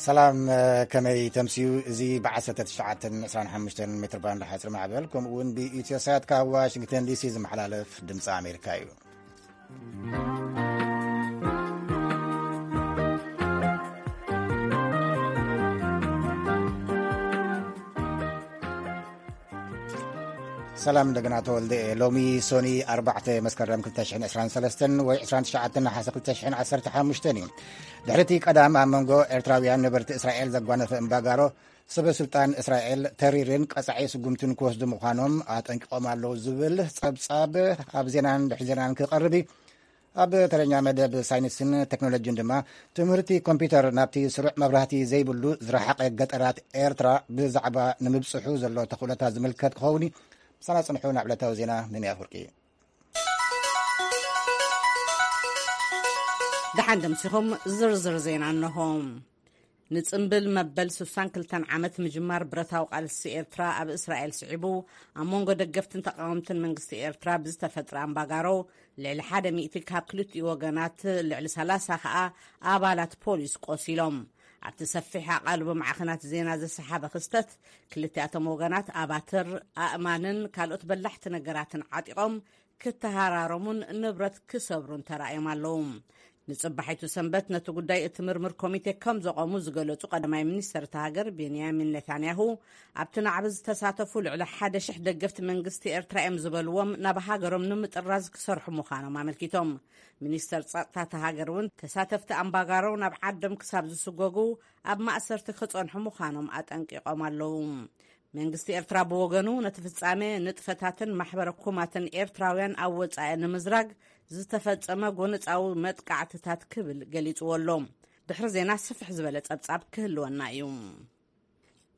ሰላም፣ ከመይ ተምስዩ? እዚ ብ19 25 ሜትር ባንድ ሓፂር ማዕበል፣ ከምኡ እውን ብኢትዮ ሳት ካብ ዋሽንግተን ዲሲ ዝመሓላለፍ ድምፂ ኣሜሪካ እዩ። ሰላም እንደገና ተወልደ። ሎሚ ሶኒ ኣርባዕተ መስከረም ክልተ ሽሕን ዕስራን ሰለስተን ወይ ዕስራን ትሽዓተን ነሓሰ ክልተ ሽሕን ዓሰርተ ሓሙሽተን እዩ። ድሕሪ እቲ ቀዳም ኣብ መንጎ ኤርትራውያን ነበርቲ እስራኤል ዘጓነፈ እምባጋሮ፣ ሰበ ስልጣን እስራኤል ተሪርን ቀጻዒ ስጉምትን ክወስዱ ምዃኖም ኣጠንቂቖም ኣለዉ ዝብል ጸብጻብ ኣብ ዜናን ድሕሪ ዜናን ክቐርብ እዩ። ኣብ ተረኛ መደብ ሳይንስን ቴክኖሎጂን ድማ ትምህርቲ ኮምፒውተር ናብቲ ስሩዕ መብራህቲ ዘይብሉ ዝረሓቐ ገጠራት ኤርትራ ብዛዕባ ንምብጽሑ ዘሎ ተኽእሎታት ዝምልከት ክኸውን እዩ። ምሳና ጽንሑ ናብ ዕለታዊ ዜና። ምን ኣፍርቂ። ደሓን ደምሲኹም። ዝርዝር ዜና እንሆ። ንጽምብል መበል ስሳን ክልተን ዓመት ምጅማር ብረታዊ ቃልሲ ኤርትራ ኣብ እስራኤል ስዒቡ፣ ኣብ መንጎ ደገፍትን ተቃወምትን መንግስቲ ኤርትራ ብዝተፈጥረ ኣምባጋሮ፣ ልዕሊ ሓደ ሚእቲ ካብ ክልቲኡ ወገናት፣ ልዕሊ ሰላሳ ከኣ ኣባላት ፖሊስ ቆሲሎም። ኣብቲ ሰፊሕ ኣቓልቦ ማዕኸናት ዜና ዝሰሓበ ክስተት፣ ክልቲኣቶም ወገናት ኣባትር፣ ኣእማንን ካልኦት በላሕቲ ነገራትን ዓጢቖም ክተሃራረሙን ንብረት ክሰብሩን ተራእዮም ኣለዉ። ንጽባሒቱ ሰንበት ነቲ ጉዳይ እትምርምር ኮሚቴ ከም ዘቖሙ ዝገለጹ ቀዳማይ ሚኒስተር እታ ሃገር ቤንያሚን ኔታንያሁ፣ ኣብቲ ናዕቢ ዝተሳተፉ ልዕሊ ሓደ ሽሕ ደገፍቲ መንግስቲ ኤርትራ እዮም ዝበልዎም ናብ ሃገሮም ንምጥራዝ ክሰርሑ ምዃኖም ኣመልኪቶም። ሚኒስተር ጸጥታ እታ ሃገር እውን ተሳተፍቲ ኣምባጋሮ ናብ ዓዶም ክሳብ ዝስጎጉ ኣብ ማእሰርቲ ክጸንሑ ምዃኖም ኣጠንቂቖም ኣለዉ። መንግስቲ ኤርትራ ብወገኑ ነቲ ፍጻሜ ንጥፈታትን ማሕበረ ኮማትን ኤርትራውያን ኣብ ወጻኢ ንምዝራግ ዝተፈጸመ ጎነጻዊ መጥቃዕትታት ክብል ገሊጽዎ ኣሎ። ድሕሪ ዜና ስፍሕ ዝበለ ጸብጻብ ክህልወና እዩ።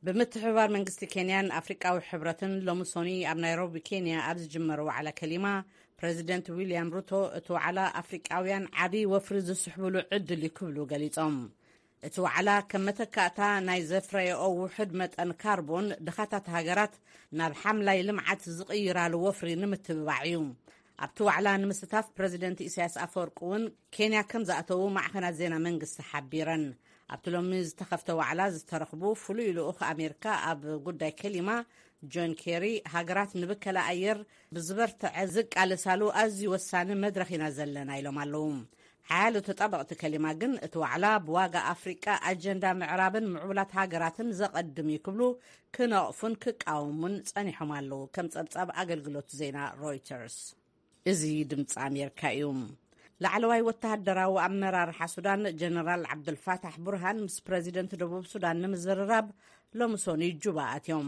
ብምትሕብባር መንግስቲ ኬንያን ኣፍሪቃዊ ሕብረትን ሎሚ ሶኒ ኣብ ናይሮቢ ኬንያ ኣብ ዝጅመር ዋዕላ ከሊማ፣ ፕረዚደንት ዊልያም ሩቶ እቲ ዋዕላ ኣፍሪቃውያን ዓብዪ ወፍሪ ዝስሕብሉ ዕድል እዩ ክብሉ ገሊጾም። እቲ ዋዕላ ከም መተካእታ ናይ ዘፍረየኦ ውሑድ መጠን ካርቦን ድኻታት ሃገራት ናብ ሓምላይ ልምዓት ዝቕይራሉ ወፍሪ ንምትብባዕ እዩ። ኣብቲ ዋዕላ ንምስታፍ ፕረዚደንት ኢሳያስ ኣፈወርቂ እውን ኬንያ ከም ዝኣተዉ ማዕኸናት ዜና መንግስቲ ሓቢረን። ኣብቲ ሎሚ ዝተኸፍተ ዋዕላ ዝተረኽቡ ፍሉይ ልኡኽ ኣሜሪካ ኣብ ጉዳይ ከሊማ ጆን ኬሪ፣ ሃገራት ንብከላ ኣየር ብዝበርትዐ ዝቃለሳሉ ኣዝዩ ወሳኒ መድረኽ ኢና ዘለና ኢሎም ኣለዉ። ሓያሎ ተጣበቕቲ ከሊማ ግን እቲ ዋዕላ ብዋጋ ኣፍሪቃ ኣጀንዳ ምዕራብን ምዕቡላት ሃገራትን ዘቐድም እዩ ክብሉ ክነቕፉን ክቃወሙን ጸኒሖም ኣለዉ። ከም ጸብጻብ ኣገልግሎት ዜና ሮይተርስ። እዚ ድምፂ ኣሜሪካ እዩ። ላዕለዋይ ወተሃደራዊ ኣመራርሓ ሱዳን ጀነራል ዓብዱልፋታሕ ቡርሃን ምስ ፕረዚደንት ደቡብ ሱዳን ንምዝርራብ ሎሚ ሶኒ ጁባ ኣትዮም።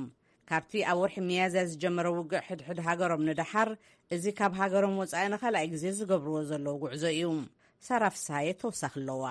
ካብቲ ኣብ ወርሒ ሚያዝያ ዝጀመረ ውግእ ሕድሕድ ሃገሮም ንደሓር፣ እዚ ካብ ሃገሮም ወጻኢ ንኻልኣይ ግዜ ዝገብርዎ ዘለዉ ጉዕዞ እዩ። ሳራ ፍስሃየ ተወሳኺ ኣለዋ።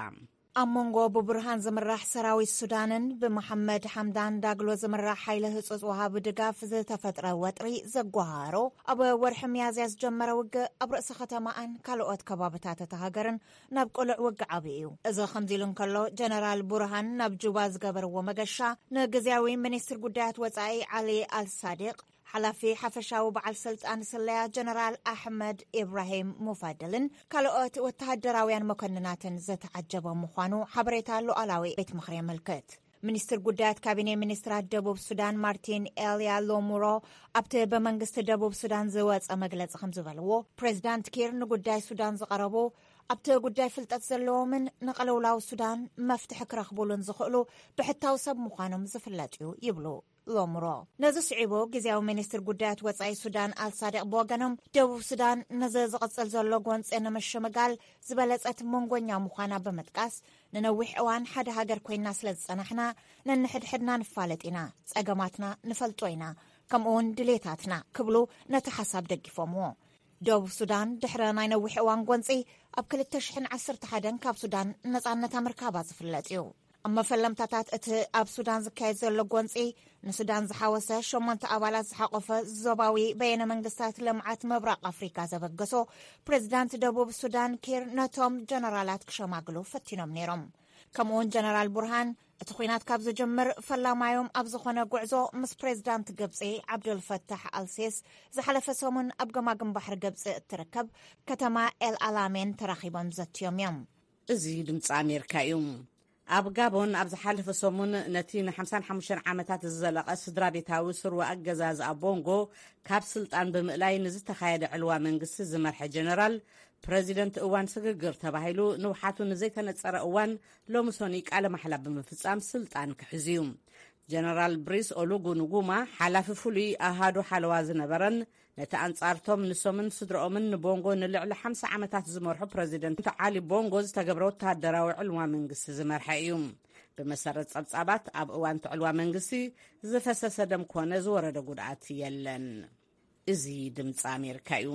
ኣብ መንጎ ብቡርሃን ዝምራሕ ሰራዊት ሱዳንን ብመሓመድ ሓምዳን ዳግሎ ዝምራሕ ሓይሊ ህጹጽ ወሃቢ ድጋፍ ዝተፈጥረ ወጥሪ ዘጓሃሮ፣ ኣብ ወርሒ ሚያዝያ ዝጀመረ ውግእ ኣብ ርእሲ ከተማኣን ካልኦት ከባብታት እታ ሃገርን ናብ ቅሉዕ ውግእ ዓብዩ እዩ። እዚ ከምዚ ኢሉ እንከሎ፣ ጀነራል ቡርሃን ናብ ጁባ ዝገበርዎ መገሻ፣ ንግዝያዊ ሚኒስትር ጉዳያት ወጻኢ ዓሊ ኣልሳዲቅ፣ ሓላፊ ሓፈሻዊ በዓል ስልጣን ስለያ ጀነራል ኣሕመድ ኢብራሂም ሙፋድልን ካልኦት ወተሃደራውያን መኮንናትን ዝተዓጀበ ምዃኑ ሓበሬታ ሉዓላዊ ቤት ምኽሪ የመልክት። ሚኒስትር ጉዳያት ካቢኔ ሚኒስትራት ደቡብ ሱዳን ማርቲን ኤልያ ሎሙሮ ኣብቲ ብመንግስቲ ደቡብ ሱዳን ዝወጸ መግለጺ ከም ዝበልዎ፣ ፕሬዚዳንት ኪር ንጉዳይ ሱዳን ዝቐረቡ፣ ኣብቲ ጉዳይ ፍልጠት ዘለዎምን ንቕልውላው ሱዳን መፍትሒ ክረኽቡሉን ዝኽእሉ ብሕታዊ ሰብ ምዃኖም ዝፍለጥ እዩ ይብሉ ሎምሮ። ነዚ ስዒቡ፣ ግዜያዊ ሚኒስትር ጉዳያት ወጻኢ ሱዳን ኣልሳዲቅ ብወገኖም፣ ደቡብ ሱዳን ነዚ ዝቕጽል ዘሎ ጎንጺ ንምሽምጋል ዝበለጸት መንጎኛ ምዃና ብምጥቃስ፣ ንነዊሕ እዋን ሓደ ሃገር ኮይና ስለ ዝጸናሕና፣ ነንሕድሕድና ንፋለጥ ኢና፣ ጸገማትና ንፈልጦ ኢና፣ ከምኡውን ድሌታትና ክብሉ ነቲ ሓሳብ ደጊፎምዎ። ደቡብ ሱዳን ድሕሪ ናይ ነዊሕ እዋን ጎንጺ፣ ኣብ ክልተ ሽሕን ዓሰርተ ሓደን ካብ ሱዳን ነጻነታ ምርካባ ዝፍለጥ እዩ። ኣብ መፈለምታታት እቲ ኣብ ሱዳን ዝካየድ ዘሎ ጎንጺ፣ ንሱዳን ዝሓወሰ ሸሞንተ ኣባላት ዝሓቆፈ ዞባዊ በየነ መንግስታት ልምዓት ምብራቕ ኣፍሪካ ዘበገሶ፣ ፕሬዚዳንት ደቡብ ሱዳን ኪር ነቶም ጀነራላት ክሸማግሉ ፈቲኖም ነይሮም። ከምኡውን ጀነራል ቡርሃን፣ እቲ ኲናት ካብ ዝጅምር ፈላማዮም ኣብ ዝኾነ ጉዕዞ ምስ ፕሬዚዳንት ግብጺ ዓብዱልፈታሕ ኣልሲስ ዝሓለፈ ሰሙን ኣብ ገማግም ባሕሪ ግብጺ እትርከብ ከተማ ኤል ኣላሜን ተራኺቦም ዘትዮም እዮም። እዚ ድምፂ ኣሜሪካ እዩ። ኣብ ጋቦን ኣብ ዝሓለፈ ሰሙን ነቲ ን55 ዓመታት ዝዘለቐ ስድራ ቤታዊ ስርወ ኣገዛዝ ኣብ ቦንጎ ካብ ስልጣን ብምእላይ ንዝተኻየደ ዕልዋ መንግስቲ ዝመርሐ ጀነራል፣ ፕረዚደንት እዋን ስግግር ተባሂሉ ንውሓቱ ንዘይተነጸረ እዋን ሎሚ ሰኑይ ቃለ ማሕላ ብምፍጻም ስልጣን ክሕዝ እዩ። ጀነራል ብሪስ ኦሉጉ ንጉማ ሓላፊ ፍሉይ ኣሃዱ ሓለዋ ዝነበረን ነቲ ኣንጻርቶም ንሶምን ስድረኦምን ንቦንጎ ንልዕሊ ሓምሳ ዓመታት ዝመርሑ ፕረዚደንት ዓሊ ቦንጎ ዝተገብረ ወተሃደራዊ ዕልዋ መንግስቲ ዝመርሐ እዩ። ብመሰረት ጸብጻባት ኣብ እዋን እቲ ዕልዋ መንግስቲ ዝፈሰሰ ደም ኮነ ዝወረደ ጉድኣት የለን። እዚ ድምፂ ኣሜሪካ እዩ።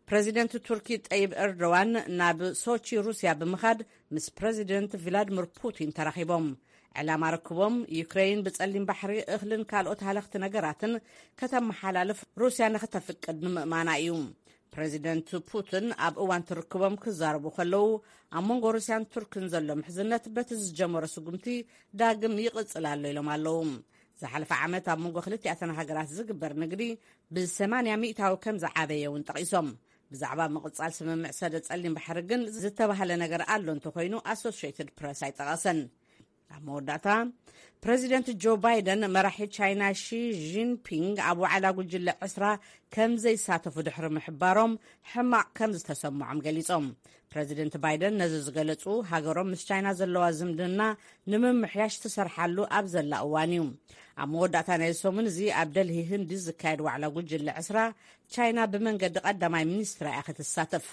ፕረዚደንት ቱርኪ ጠይብ ኤርዶዋን ናብ ሶቺ ሩስያ ብምኻድ ምስ ፕረዚደንት ቪላድሚር ፑቲን ተራኺቦም። ዕላማ ርክቦም ዩክሬን ብጸሊም ባሕሪ እኽልን ካልኦት ሃለኽቲ ነገራትን ከተመሓላልፍ ሩስያ ንኽተፍቅድ ንምእማና እዩ። ፕረዚደንት ፑቲን ኣብ እዋን ትርክቦም ክዛረቡ ከለዉ ኣብ መንጎ ሩስያን ቱርክን ዘሎ ምሕዝነት በቲ ዝጀመሮ ስጉምቲ ዳግም ይቕጽል ኣሎ ኢሎም ኣለዉ። ዝሓለፈ ዓመት ኣብ መንጎ ክልቲኣተን ሃገራት ዝግበር ንግዲ ብ80 ሚእታዊ ከም ዝዓበየ እውን ጠቒሶም። ብዛዕባ ምቕጻል ስምምዕ ሰደ ጸሊም ባሕሪ ግን ዝተባህለ ነገር ኣሎ እንተኮይኑ ኣሶሽትድ ፕረስ ኣይጠቐሰን። ኣብ መወዳእታ ፕረዚደንት ጆ ባይደን መራሒ ቻይና ሺ ጂንፒንግ ኣብ ዋዕላ ጉጅለ ዕስራ ከም ዘይሳተፉ ድሕሪ ምሕባሮም ሕማቕ ከም ዝተሰምዖም ገሊጾም። ፕረዚደንት ባይደን ነዚ ዝገለጹ ሃገሮም ምስ ቻይና ዘለዋ ዝምድና ንምምሕያሽ ትሰርሓሉ ኣብ ዘላ እዋን እዩ። ኣብ መወዳእታ ናይ ሰሙን እዚ ኣብ ደልሂ ህንዲ ዝካየድ ዋዕላ ጉጅለ ዕስራ ቻይና ብመንገዲ ቀዳማይ ሚኒስትራ እያ ክትሳተፍ።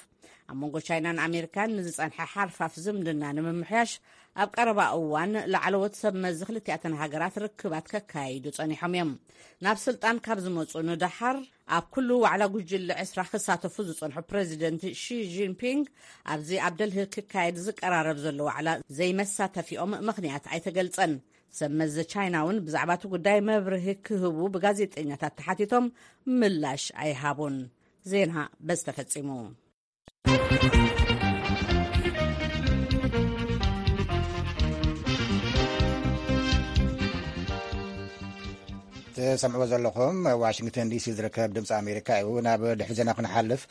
ኣብ መንጎ ቻይናን ኣሜሪካን ንዝጸንሐ ሓርፋፍ ዝምድና ንምምሕያሽ ኣብ ቀረባ እዋን ላዕለዎት ሰብ መዚ ክልቲኣተን ሃገራት ርክባት ከካይዱ ጸኒሖም እዮም። ናብ ስልጣን ካብ ዝመጹ ንደሓር ኣብ ኩሉ ዋዕላ ጉጅለ ዕስራ ክሳተፉ ዝጸንሑ ፕረዚደንት ሺ ጂንፒንግ ኣብዚ ኣብ ደልሂ ክካየድ ዝቀራረብ ዘሎ ዋዕላ ዘይመሳተፊኦም ምኽንያት ኣይተገልጸን። ሰብ መዚ ቻይና እውን ብዛዕባ እቲ ጉዳይ መብርሂ ክህቡ ብጋዜጠኛታት ተሓቲቶም ምላሽ ኣይሃቡን። ዜና በዚ ተፈጺሙ። ትሰምዕዎ ዘለኹም ዋሽንግተን ዲሲ ዝርከብ ድምፂ ኣሜሪካ እዩ። ናብ ድሕሪ ዜና ክንሓልፍ፣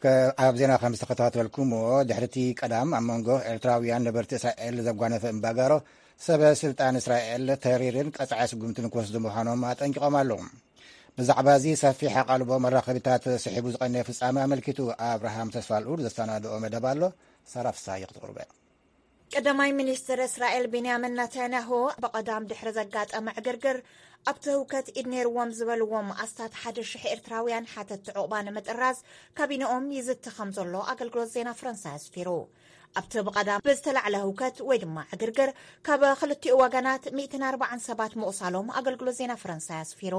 ከ-፣ ኣብ ዜና ከም ዝተኸታተልኩምዎ፣ ድሕሪ እቲ ቀዳም ኣብ መንጎ ኤርትራውያን ነበርቲ እስራኤል ዘጓነፈ እምባጋሮ፣ ሰበ ስልጣን እስራኤል ተሪርን ቀጻዒ ስጉምትን ክወስዱ ምዃኖም ኣጠንቂቖም ኣለዉ። ብዛዕባ እዚ ሰፊሕ ኣቓልቦ መራኸቢታት ስሒቡ ዝቐነየ ፍጻመ ኣመልኪቱ ኣብርሃም ተስፋልኡድ ዘሰናድኦ መደብ ኣሎ። ሳራ ፍስሃየ ክትቕርበ። ቀዳማይ ሚኒስትር እስራኤል ቤንያሚን ናታንያሁ ብቐዳም ድሕሪ ዘጋጠመ ዕግርግር ኣብቲ ህውከት ኢድ ነይርዎም ዝበልዎም ኣስታት ሓደ ሽሕ ኤርትራውያን ሓተቲ ዑቕባ ንምጥራዝ ካቢንኦም ይዝቲ ከም ዘሎ ኣገልግሎት ዜና ፈረንሳይ ኣስፊሩ። ኣብቲ ብቐዳም ብዝተላዕለ ህውከት ወይ ድማ ዕግርግር ካብ ክልቲኡ ወገናት ሚእትን ኣርባዓን ሰባት ምቑሳሎም ኣገልግሎት ዜና ፈረንሳይ ኣስፊሩ።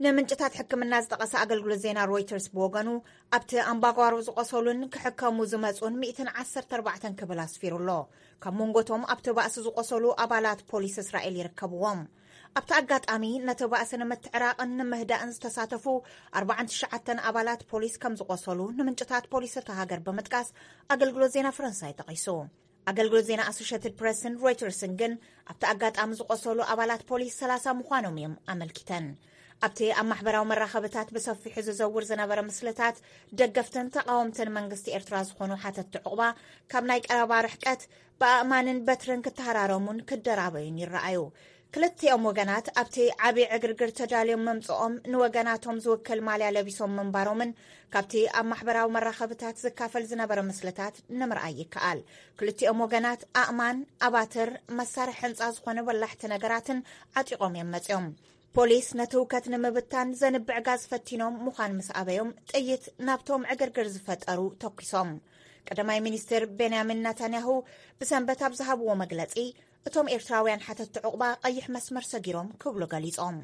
ንምንጭታት ሕክምና ዝጠቐሰ ኣገልግሎት ዜና ሮይተርስ ብወገኑ ኣብቲ ኣምባጓሮ ዝቆሰሉን ክሕከሙ ዝመጹን ሚእትን ዓሰርተ ኣርባዕተን ክብል ኣስፊሩ ኣሎ። ካብ መንጎቶም ኣብቲ ባእሲ ዝቆሰሉ ኣባላት ፖሊስ እስራኤል ይርከብዎም። ኣብቲ ኣጋጣሚ ነቲ ባእሲ ንምትዕራቕን ንምህዳእን ዝተሳተፉ ኣርባዓን ትሽዓተን ኣባላት ፖሊስ ከም ዝቆሰሉ ንምንጭታት ፖሊስ እታ ሃገር ብምጥቃስ ኣገልግሎት ዜና ፈረንሳይ ጠቒሱ። ኣገልግሎት ዜና ኣሶሽትድ ፕረስን ሮይተርስን ግን ኣብቲ ኣጋጣሚ ዝቆሰሉ ኣባላት ፖሊስ ሰላሳ ምዃኖም እዮም ኣመልኪተን። ኣብቲ ኣብ ማሕበራዊ መራኸብታት ብሰፊሑ ዝዘውር ዝነበረ ምስልታት ደገፍትን ተቓወምትን መንግስቲ ኤርትራ ዝኾኑ ሓተቲ ዑቕባ ካብ ናይ ቀረባ ርሕቀት ብኣእማንን በትርን ክተሃራረሙን ክደራበዩን ይረኣዩ። ክልቲኦም ወገናት ኣብቲ ዓቢ ዕግርግር ተዳልዮም ምምጽኦም ንወገናቶም ዝውክል ማልያ ለቢሶም ምንባሮምን ካብቲ ኣብ ማሕበራዊ መራኸብታት ዝካፈል ዝነበረ ምስልታት ንምርኣይ ይከኣል። ክልቲኦም ወገናት ኣእማን፣ ኣባትር፣ መሳርሒ ህንጻ ዝኾነ በላሕቲ ነገራትን ዓጢቖም እዮም መጺኦም። ፖሊስ ነቲ ህውከት ንምብታን ዘንብዕ ጋዝ ፈቲኖም ምዃን ምስ ኣበዮም ጥይት ናብቶም ዕግርግር ዝፈጠሩ ተኩሶም። ቀዳማይ ሚኒስትር ቤንያሚን ናታንያሁ ብሰንበት ኣብ ዝሃብዎ መግለጺ እቶም ኤርትራውያን ሓተቲ ዑቕባ ቀይሕ መስመር ሰጊሮም ክብሉ ገሊጾም።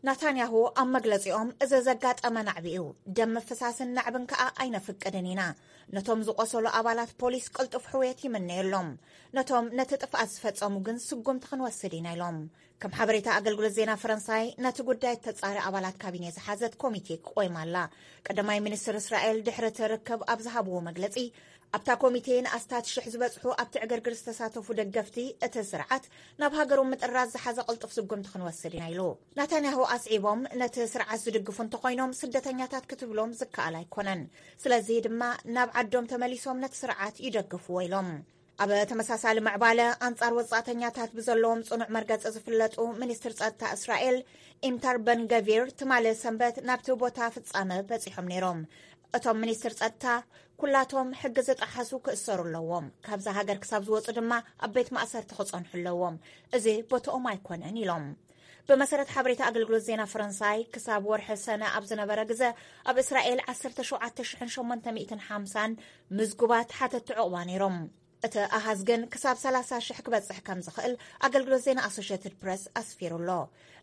ናታንያሁ ኣብ መግለጺኦም እዚ ዘጋጠመ ናዕቢ እዩ፣ ደም ምፍሳስን ናዕብን ከኣ ኣይነፍቅድን ኢና። ነቶም ዝቆሰሉ ኣባላት ፖሊስ ቅልጡፍ ሕውየት ይምነየሎም። ነቶም ነቲ ጥፍኣት ዝፈጸሙ ግን ስጉምቲ ክንወስድ ኢና ኢሎም። ከም ሓበሬታ ኣገልግሎት ዜና ፈረንሳይ ነቲ ጉዳይ እተጻሪ ኣባላት ካቢኔ ዝሓዘት ኮሚቴ ቆይማ ኣላ። ቀዳማይ ሚኒስትር እስራኤል ድሕሪ እቲ ርክብ ኣብ ዝሃብዎ መግለጺ ኣብታ ኮሚቴ ንኣስታት ሽሕ ዝበጽሑ ኣብቲ ዕግርግር ዝተሳተፉ ደገፍቲ እቲ ስርዓት ናብ ሃገሮም ምጥራዝ ዝሓዘ ቅልጡፍ ስጉምቲ ክንወስድ ኢና ኢሉ። ናታንያሁ ኣስዒቦም ነቲ ስርዓት ዝድግፉ እንተኾይኖም ስደተኛታት ክትብሎም ዝከኣል ኣይኮነን። ስለዚ ድማ ናብ ዓዶም ተመሊሶም ነቲ ስርዓት ይደግፍዎ ኢሎም። ኣብ ተመሳሳሊ ምዕባለ፣ ኣንጻር ወጻእተኛታት ብዘለዎም ጽኑዕ መርገጺ ዝፍለጡ ሚኒስትር ጸጥታ እስራኤል ኢምታር በን ገቪር ትማሊ ሰንበት ናብቲ ቦታ ፍጻመ በጺሖም ነይሮም። እቶም ሚኒስትር ጸጥታ፣ "ኩላቶም ሕጊ ዝጠሓሱ ክእሰሩ ኣለዎም፣ ካብዛ ሃገር ክሳብ ዝወጹ ድማ ኣብ ቤት ማእሰርቲ ክጸንሑ ኣለዎም፣ እዚ ቦታኦም ኣይኮነን" ኢሎም። ብመሰረት ሓበሬታ ኣገልግሎት ዜና ፈረንሳይ፣ ክሳብ ወርሒ ሰነ ኣብ ዝነበረ ግዘ፣ ኣብ እስራኤል ዓሰርተ ሸውዓተ ሽሕን ሸሞንተ ሚእትን ሓምሳን ምዝጉባት ሓተቲ ዕቑባ ነይሮም። እቲ ኣሃዝ ግን ክሳብ ሰላሳ ሽሕ ክበጽሕ ከም ዝኽእል ኣገልግሎት ዜና ኣሶሽየትድ ፕረስ ኣስፊሩ ኣሎ።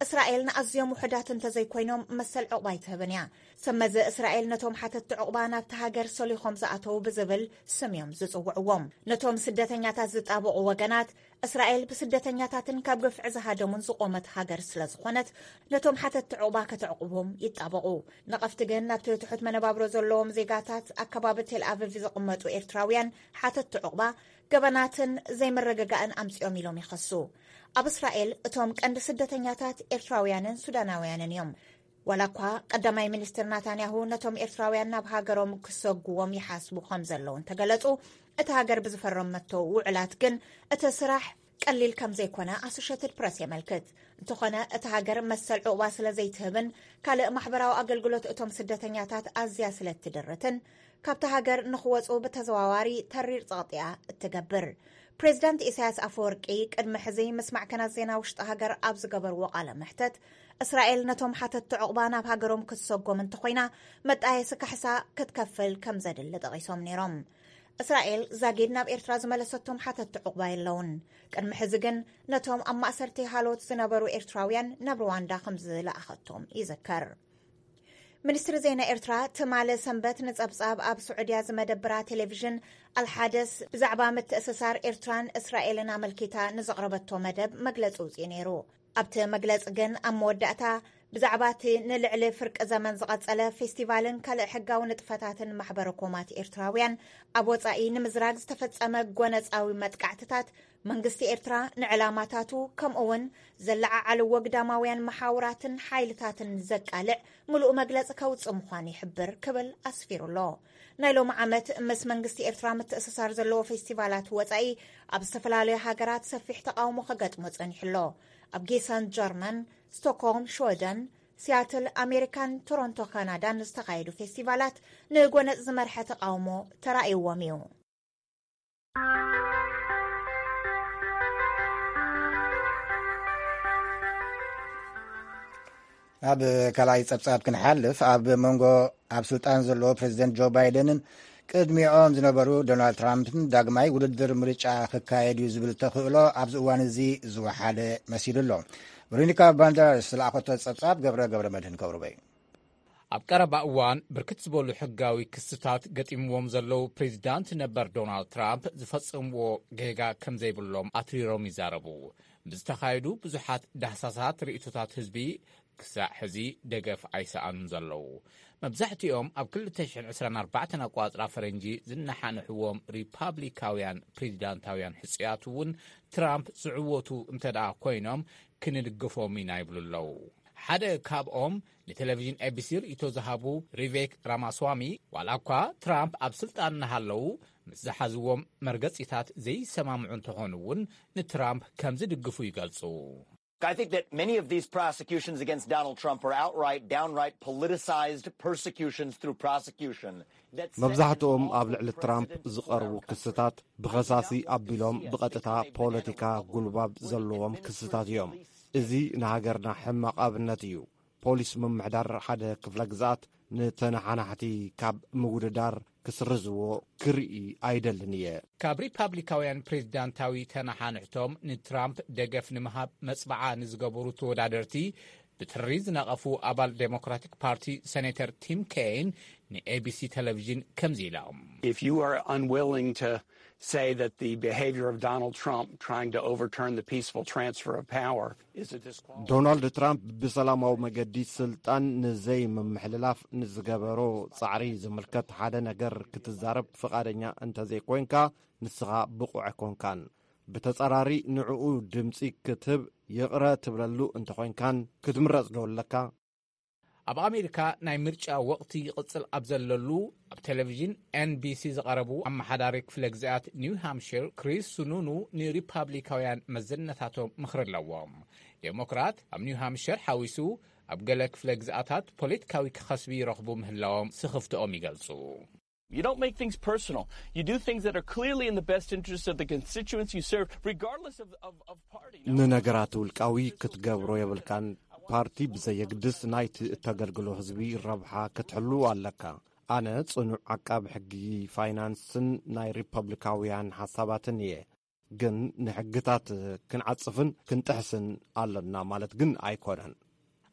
እስራኤል ንኣዝዮም ውሑዳት እንተዘይኮይኖም መሰል ዕቑባ ኣይትህብን እያ። ሰመዚ እስራኤል ነቶም ሓተቲ ዕቑባ ናብቲ ሃገር ሰሊኾም ዝኣተዉ ብዝብል ስም እዮም ዝጽውዕዎም። ነቶም ስደተኛታት ዝጣበቑ ወገናት፣ እስራኤል ብስደተኛታትን ካብ ግፍዒ ዝሃደሙን ዝቖመት ሃገር ስለ ዝኾነት፣ ነቶም ሓተቲ ዕቑባ ከተዕቑቦም ይጣበቑ። ነቐፍቲ ግን፣ ናብቲ ትሑት መነባብሮ ዘለዎም ዜጋታት ኣከባቢ ቴል ኣቪቭ ዝቕመጡ ኤርትራውያን ሓተቲ ዕቑባ፣ ገበናትን ዘይምርግጋእን ኣምጺኦም ኢሎም ይኸሱ። ኣብ እስራኤል እቶም ቀንዲ ስደተኛታት ኤርትራውያንን ሱዳናውያንን እዮም። ዋላ እኳ ቀዳማይ ሚኒስትር ናታንያሁ ነቶም ኤርትራውያን ናብ ሃገሮም ክሰጉዎም ይሓስቡ ከም ዘለዉ እንተገለጹ፣ እቲ ሃገር ብዝፈረመቶ ውዕላት ግን እቲ ስራሕ ቀሊል ከም ዘይኮነ ኣሶሽየትድ ፕረስ የመልክት። እንተኾነ፣ እቲ ሃገር መሰል ዕቑባ ስለ ዘይትህብን ካልእ ማሕበራዊ ኣገልግሎት እቶም ስደተኛታት ኣዝያ ስለ እትድርትን፣ ካብቲ ሃገር ንኽወጹ ብተዘዋዋሪ ተሪር ጸቕጢ እያ እትገብር። ፕሬዚዳንት ኢሳያስ ኣፈወርቂ ቅድሚ ሕዚ ምስ ማዕከናት ዜና ውሽጢ ሃገር ኣብ ዝገበርዎ ቃለ መሕተት፣ እስራኤል ነቶም ሓተቲ ዕቑባ ናብ ሃገሮም ክትሰጎም እንተኾይና፣ መጣየሲ ካሕሳ ክትከፍል ከም ዘድሊ ጠቒሶም ነይሮም። እስራኤል ዛጊድ ናብ ኤርትራ ዝመለሰቶም ሓተቲ ዕቑባ የለውን። ቅድሚ ሕዚ ግን ነቶም ኣብ ማእሰርቲ ሃሎት ዝነበሩ ኤርትራውያን ናብ ሩዋንዳ ከም ዝለኣኸቶም ይዝከር። ሚኒስትሪ ዜና ኤርትራ ትማሊ ሰንበት ንጸብጻብ ኣብ ስዑድያ ዝመደብራ ቴሌቪዥን ኣልሓደስ ብዛዕባ ምትእስሳር ኤርትራን እስራኤልን ኣመልኪታ ንዘቕረበቶ መደብ መግለጺ ውጽኢ ነይሩ። ኣብቲ መግለጺ ግን ኣብ መወዳእታ ብዛዕባ እቲ ንልዕሊ ፍርቂ ዘመን ዝቐጸለ ፌስቲቫልን ካልእ ሕጋዊ ንጥፈታትን ማሕበረ ኮማት ኤርትራውያን ኣብ ወጻኢ ንምዝራግ ዝተፈጸመ ጎነጻዊ መጥቃዕትታት መንግስቲ ኤርትራ ንዕላማታቱ ከምኡ እውን ዘለዓዓልዎ ግዳማውያን መሓውራትን ሓይልታትን ዘቃልዕ ምሉእ መግለጺ ከውጽእ ምዃኑ ይሕብር ክብል ኣስፊሩ ኣሎ። ናይ ሎሚ ዓመት ምስ መንግስቲ ኤርትራ ምትእስሳር ዘለዎ ፌስቲቫላት ወጻኢ ኣብ ዝተፈላለዩ ሃገራት ሰፊሕ ተቃውሞ ከገጥሞ ጸኒሑ ኣሎ። ኣብ ጊሰን ጀርመን፣ ስቶክሆልም ሽወደን፣ ሲያትል ኣሜሪካን ቶሮንቶ ካናዳን ዝተኻየዱ ፌስቲቫላት ንጎነጽ ዝመርሐ ተቃውሞ ተራእይዎም እዩ። ኣብ ካልኣይ ጸብጻብ ክንሓልፍ፣ ኣብ መንጎ ኣብ ስልጣን ዘለዎ ፕሬዚደንት ጆ ባይደንን ቅድሚኦም ዝነበሩ ዶናልድ ትራምፕን ዳግማይ ውድድር ምርጫ ክካየድ እዩ ዝብል ተኽእሎ ኣብዚ እዋን እዚ ዝወሓደ መሲሉ ኣሎ። ቨሮኒካ ባንደራስ ዝለኣኸቶ ጸብጻብ ገብረ ገብረ መድህን ከቕርቦ እዩ። ኣብ ቀረባ እዋን ብርክት ዝበሉ ሕጋዊ ክስታት ገጢምዎም ዘለዉ ፕሬዚዳንት ነበር ዶናልድ ትራምፕ ዝፈጸምዎ ጌጋ ከም ዘይብሎም ኣትሪሮም ይዛረቡ። ብዝተኻየዱ ብዙሓት ዳህሳሳት ርእይቶታት ህዝቢ ክሳዕ ሕዚ ደገፍ ኣይሰኣኑን ዘለዉ። መብዛሕትኦም ኣብ ክልተ ሽሕን ዕስራን ኣርባዕተን ኣቋጽራ ፈረንጂ ዝነሓንሕዎም ሪፓብሊካውያን ፕሬዚዳንታውያን ሕጹያት እውን ትራምፕ ዝዕወቱ እንተ ደኣ ኮይኖም ክንድግፎም ኢና ይብሉ ኣለዉ። ሓደ ካብኦም ንቴሌቪዥን ኤቢሲ ርእይቶ ዝሃቡ ሪቬክ ራማስዋሚ፣ ዋላ እኳ ትራምፕ ኣብ ስልጣን እናሃለዉ ምስ ዝሓዝዎም መርገጺታት ዘይሰማምዑ እንተኾኑ እውን ንትራምፕ ከም ዝድግፉ ይገልጹ። I think that many of these prosecutions against Donald Trump are outright, downright politicized persecutions through prosecution. That set an መብዛሕትኦም ኣብ awful ልዕሊ ትራምፕ precedent ዝቐርቡ ክስታት ብኸሳሲ ኣቢሎም ብቐጥታ ፖለቲካ ጉልባብ ዘለዎም ክስታት እዮም። እዚ ንሃገርና ሕማቕ ኣብነት እዩ። ፖሊስ ምምሕዳር ሓደ ክፍለ ግዝኣት ንተነሓናሕቲ ካብ ምውድዳር ክስርዝዎ ክርኢ ኣይደልን እየ። ካብ ሪፓብሊካውያን ፕሬዚዳንታዊ ተነሓንሕቶም ንትራምፕ ደገፍ ንምሃብ መጽብዓ ንዝገበሩ ተወዳደርቲ ብትሪ ዝነቐፉ ኣባል ዴሞክራቲክ ፓርቲ ሴኔተር ቲም ኬን ንኤቢሲ ቴሌቪዥን ከምዚ ኢሎም። If you are unwilling to say that the behavior of Donald Trump trying to overturn the peaceful transfer of power is a disqualification. ዶናልድ ትራምፕ ብሰላማዊ መገዲ ስልጣን ንዘይምምሕልላፍ ንዝገበሮ ጻዕሪ ዝምልከት ሓደ ነገር ክትዛረብ ፍቓደኛ እንተዘይኮይንካ፣ ንስኻ ብቑዕ ኣይኮንካን። ብተጻራሪ ንዕኡ ድምጺ ክትህብ ይቕረ ትብለሉ እንተኾይንካን ክትምረጽ ዶ ኣለካ? ኣብ ኣሜሪካ ናይ ምርጫ ወቕቲ ይቕጽል ኣብ ዘለሉ፣ ኣብ ቴሌቪዥን ኤንቢሲ ዝቐረቡ ኣመሓዳሪ ክፍለ ግዝኣት ኒው ሃምሽር ክሪስ ሱኑኑ ንሪፓብሊካውያን መዘነታቶም ምኽሪ ኣለዎም። ዴሞክራት ኣብ ኒው ሃምሽር ሓዊሱ ኣብ ገለ ክፍለ ግዝኣታት ፖለቲካዊ ክኸስቢ ይረኽቡ ምህላዎም ስኽፍትኦም ይገልጹ። You don't make things personal. You do things that are clearly in the best interest of the constituents you serve, regardless of, of, of party. ንነገራት ውልቃዊ ክትገብሮ የብልካን። ፓርቲ ብዘየግድስ ናይቲ እተገልግሎ ህዝቢ ረብሓ ክትሕሉ ኣለካ። ኣነ ጽኑዕ ዓቃቢ ሕጊ ፋይናንስን ናይ ሪፐብሊካውያን ሓሳባትን እየ። ግን ንሕግታት ክንዓጽፍን ክንጥሕስን ኣለና ማለት ግን ኣይኮነን።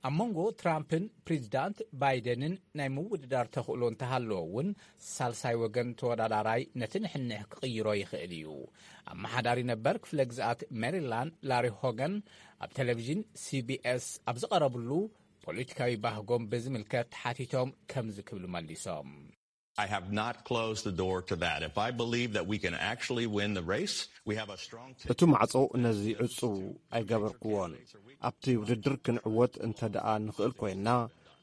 ኣብ መንጎ ትራምፕን ፕሬዚዳንት ባይደንን ናይ ምውድዳር ተኽእሎ እንተሃለወ እውን፣ ሳልሳይ ወገን ተወዳዳራይ ነቲ ንሕንሕ ክቕይሮ ይኽእል እዩ። ኣመሓዳሪ ነበር ክፍለ ግዝኣት ሜሪላንድ ላሪ ሆገን ኣብ ቴሌቪዥን ሲቢኤስ ኣብ ዝቐረብሉ፣ ፖለቲካዊ ባህጎም ብዝምልከት ተሓቲቶም ከምዚ ክብሉ መሊሶም። I have not closed the door to that. If I believe that we can actually win the race, we have a strong team. እቲ ማዕጾ ነዚ ዕጹው ኣይገበርክዎን። ኣብቲ ውድድር ክንዕወት እንተ ደኣ ንኽእል ኮይንና፣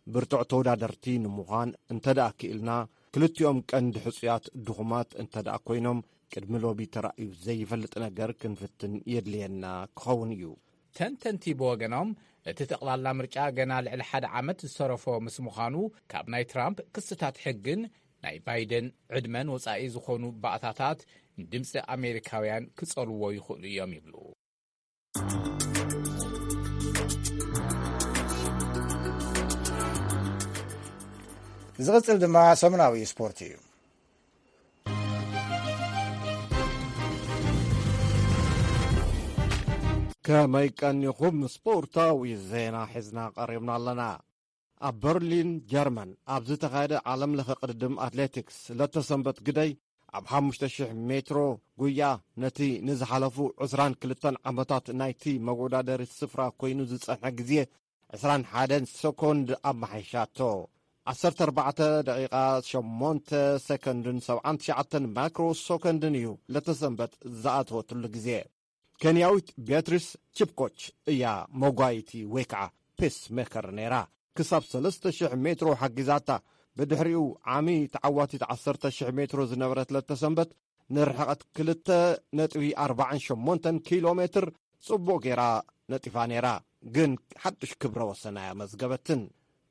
ብርቱዕ ተወዳደርቲ ንምዃን እንተ ደኣ ክኢልና፣ ክልቲኦም ቀንዲ ሕጹያት ድኹማት እንተ ደኣ ኮይኖም፣ ቅድሚ ሎቢ ተራእዩ ዘይፈልጥ ነገር ክንፍትን የድልየና ክኸውን እዩ። ተንተንቲ ብወገኖም፣ እቲ ጠቕላላ ምርጫ ገና ልዕሊ ሓደ ዓመት ዝተረፎ ምስ ምዃኑ፣ ካብ ናይ ትራምፕ ክስታት ሕግን ናይ ባይደን ዕድመን ወጻኢ ዝኾኑ ባእታታት ንድምፂ ኣሜሪካውያን ክጸልዎ ይኽእሉ እዮም ይብሉ። ዝቕጽል ድማ ሰሙናዊ ስፖርት እዩ። ከመይ ቀኒኹም? ስፖርታዊ ዜና ሒዝና ቀሪብና ኣለና። ኣብ በርሊን ጀርመን ኣብ ዝተኻየደ ዓለም ለኸ ቅድድም ኣትሌቲክስ ለተሰንበት ግደይ ኣብ ሓሙሽተ ሽሕ ሜትሮ ጉያ ነቲ ንዝሓለፉ ዕስራን ክልተን ዓመታት ናይቲ መወዳደሪ ስፍራ ኮይኑ ዝጸንሐ ግዜ ዕስራን ሓደን ሰኮንድ ኣመሓይሻቶ። ዓሰርተ ኣርባዕተ ደቂቓ ሸሞንተ ሰኮንድን ሰብዓን ትሽዓተን ማይክሮ ሰኮንድን እዩ ለተሰንበት ዝኣተወትሉ ግዜ። ኬንያዊት ቤትሪስ ቺፕኮች እያ መጓይቲ ወይ ከዓ ፔስ ሜከር ነይራ። ክሳብ ሰለስተ ሽሕ ሜትሮ ሓጊዛታ። ብድሕሪኡ ዓሚ ተዓዋቲት ዓሰርተ ሽሕ ሜትሮ ዝነበረት ለተሰንበት ንርሕቐት ክልተ ነጥቢ ኣርባዓን ሸሞንተን ኪሎ ሜትር ጽቡቕ ጌራ ነጢፋ ነይራ፣ ግን ሓድሽ ክብረ ወሰን ኣያመዝገበትን።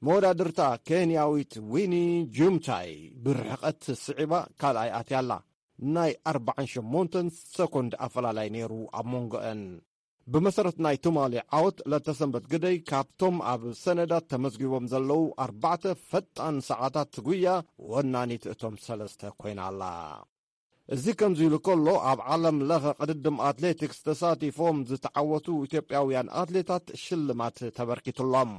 መወዳድርታ ኬንያዊት ዊኒ ጁምታይ ብርሕቐት ስዒባ ካልኣይ ኣትያ ኣላ። ናይ ኣርባዓን ሸሞንተን ሰኮንድ ኣፈላላይ ነይሩ ኣብ መንጎአን። ብመሰረት ናይ ትማሊ ዓወት ለተሰንበት ግደይ ካብቶም ኣብ ሰነዳት ተመዝጊቦም ዘለዉ ኣርባዕተ ፈጣን ሰዓታት ጉያ ወናኒት እቶም ሰለስተ ኮይና ኣላ። እዚ ከምዚ ኢሉ ከሎ፣ ኣብ ዓለም ለኸ ቅድድም ኣትሌቲክስ ተሳቲፎም ዝተዓወቱ ኢትዮጵያውያን ኣትሌታት ሽልማት ተበርኪቱሎም።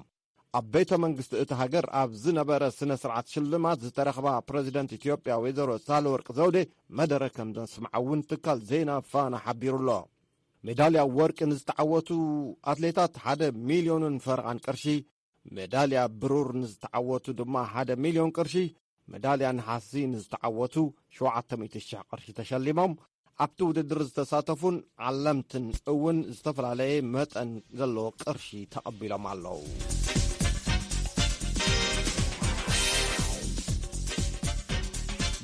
ኣብ ቤተ መንግስቲ እቲ ሃገር ኣብ ዝነበረ ስነ ስርዓት ሽልማት ዝተረኽባ ፕረዚደንት ኢትዮጵያ ወይዘሮ ሳህለወርቅ ዘውዴ መደረ ከም ዘስምዓ እውን ትካል ዜና ፋና ሓቢሩ ኣሎ። ሜዳልያ ወርቂ ንዝተዓወቱ ኣትሌታት ሓደ ሚልዮንን ፈረቓን ቅርሺ፣ ሜዳልያ ብሩር ንዝተዓወቱ ድማ ሓደ ሚልዮን ቅርሺ፣ ሜዳልያ ነሓሲ ንዝተዓወቱ ሸውዓተ ሚእቲ ሽሕ ቅርሺ ተሸሊሞም። ኣብቲ ውድድር ዝተሳተፉን ዓለምትን እውን ዝተፈላለየ መጠን ዘለዎ ቅርሺ ተቐቢሎም ኣለዉ።